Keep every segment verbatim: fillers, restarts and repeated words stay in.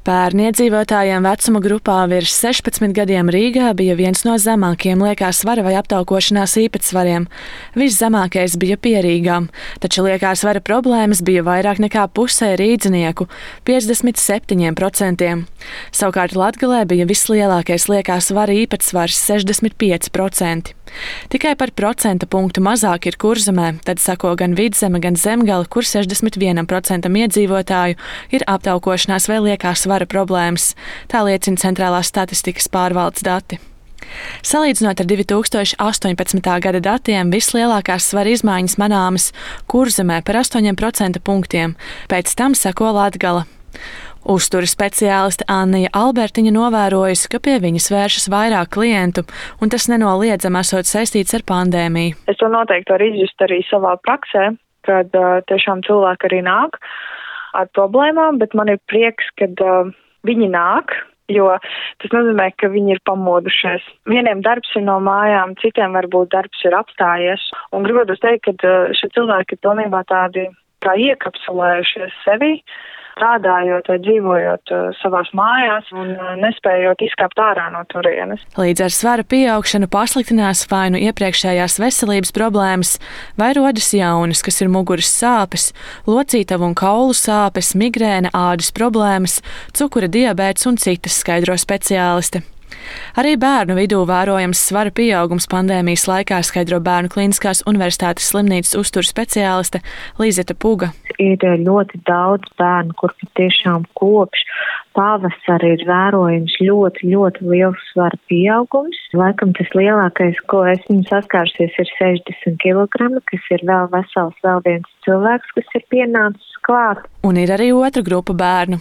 Pērn iedzīvotājiem vecuma grupā virs sešpadsmit gadiem Rīgā bija viens no zemākajiem liekā svara vai aptaukošanās īpatsvariem. Viszemākais bija Pierīgā, taču liekā svara problēmas bija vairāk nekā pusē rīdzinieku – piecdesmit septiņi procenti. Savukārt Latgalē bija vislielākais liekā svara īpatsvars – sešdesmit pieci procenti. Tikai par procenta punktu mazāk ir Kurzemē, tad sako gan Vidzeme, gan Zemgale, kur sešdesmit viens procents iedzīvotāju ir aptaukošanās vai liekā svara problēmas. Tā liecina Centrālās statistikas pārvaldes dati. Salīdzinot ar divi tūkstoši astoņpadsmitā gada datiem, vislielākās svara izmaiņas manāmas Kurzemē par astoņiem procenta punktiem, pēc tam sako Latgala. Uzturas speciāliste Annija Albertiņa novērojusi, ka pie viņas vēršas vairāk klientu, un tas nenoliedzami esot saistīts ar pandēmiju. Es to noteikti varu izjust arī savā praksē, kad uh, tiešām cilvēki arī nāk ar problēmām, bet man ir prieks, kad uh, viņi nāk, jo tas nozīmē, ka viņi ir pamodušies. Vieniem darbs ir no mājām, citiem varbūt darbs ir apstājies, un gribētu teikt, ka uh, šie cilvēki ir pilnībā tādi kā iekapsulējušies sevi, strādājot vai dzīvojot uh, savās mājās un uh, nespējot izkāpt ārā no turienes. Līdz ar svara pieaugšanu pasliktinās vai nu iepriekšējās veselības problēmas, vai rodas jaunas, kas ir muguras sāpes, locītavu un kaulu sāpes, migrēna, ādas problēmas, cukura diabēts un citas, skaidro speciāliste. Arī bērnu vidū vērojams svara pieaugums pandēmijas laikā, skaidro Bērnu Kliniskās universitātes slimnīcas uzturu speciāliste Līzeta Puga. Ir ļoti daudz bērnu, kur tiešām kopš pavasara ir vērojams ļoti, ļoti liels svara pieaugums. Laikam tas lielākais, ko esmu saskārusies, ir sešdesmit kilogrami, kas ir vēl vesels, vēl viens cilvēks, kas ir pienācis klāt. Un ir arī otra grupa bērnu.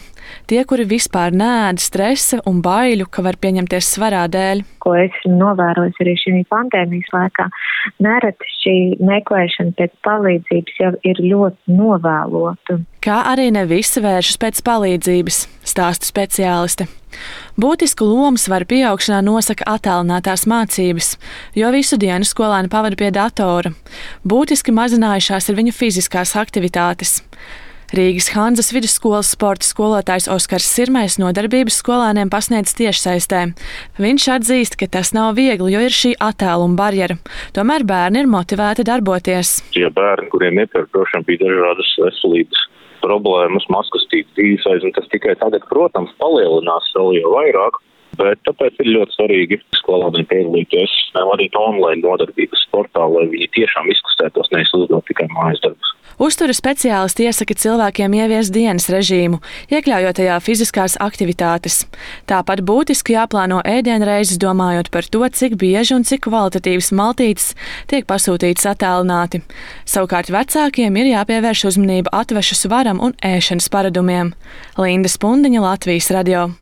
Tie, kuri vispār neēd stresa un baiļu, ka var pieņemties svarā dēļ. Ko esmu novērojis arī šī pandēmijas laikā, nereti šī meklēšana pēc palīdzības jau ir ļoti novēlota. Kā arī ne visi vēršas pēc palīdzības, stāsta speciāliste. Būtisku lomu svara pieaugšanā nosaka attālinātās mācības, jo visu dienu skolēni pavada pie datora. Būtiski mazinājušās ir viņu fiziskās aktivitātes. Rīgas Hanzas vidusskolas sporta skolotājs Oskars Sirmais nodarbības skolēniem pasniedz tiešsaistē. Viņš atzīst, ka tas nav viegli, jo ir šī attāluma barjera. Tomēr bērni ir motivēti darboties. Tie bērni, kuriem iepriekšām bija dažādas veselības problēmas, maskastītas dzīvesveids, un tas tikai tagad, protams, palielinās vēl jau vairāk. Bet tāpēc ir ļoti svarīgi skolēniem piedalīties arī online nodarbības sportā, lai viņi tiešām izkustētos, nevis uzdot tikai mājas darbus. Uztura speciālisti iesaka cilvēkiem ieviest dienas režīmu, iekļaujot tajā fiziskās aktivitātes. Tāpat būtiski jāplāno ēdienreizes, domājot par to, cik bieži un cik kvalitatīvas maltītes tiek pasūtītas attālināti. Savukārt vecākiem ir jāpievērš uzmanība atvešu svaram un ēšanas paradumiem. Linda Spundiņa, Latvijas radio.